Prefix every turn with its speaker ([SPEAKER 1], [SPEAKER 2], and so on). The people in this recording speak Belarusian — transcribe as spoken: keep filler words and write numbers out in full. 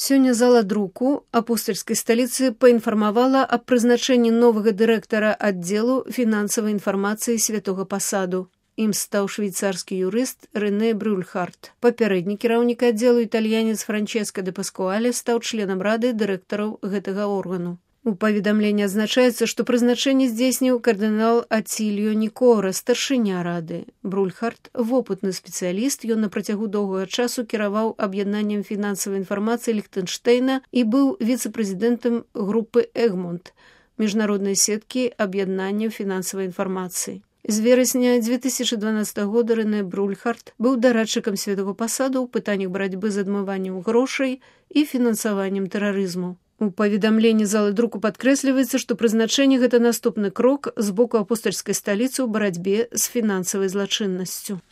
[SPEAKER 1] Сёння зала друку апостальскай сталіцы паінфармавала аб прызначэнні новага дырэктара аддзелу фінансавай інфармацыі святога пасаду. Ім стаў швейцарскі юрыст Рэне Брюльхарт. Папярэдні кіраўнік аддзелу італьянец Франчэска дэ Паскуале стаў членам рады дырэктараў гэтага органу. У паведамленні адзначаецца, што прызначэнне здзейсніў кардынал Ацільо Нікора, старшыня рады. Брюльхарт – вопытны спецыяліст, ён на працягу доўгага часу кіраваў аб'яднаннем фінансавай інфармацыі Ліхтэнштэйна і быў віцэ-прэзідэнтам групы Эгмонт, міжнароднай сеткі аб'яднання фінансавай інфармацыі. З верасня дзве тысячы дванаццатага года Рэне Брюльхарт быў дарадчыкам святого пасаду ў пытаннях барацьбы з адмываннем грошай і фінансаваннем тэрарызму. У паведамленні залы друку падкрэсліваецца, што прызначэнне гэта наступны крок з боку апостальскай сталіцы ў барацьбе з фінансавай злачыннасцю.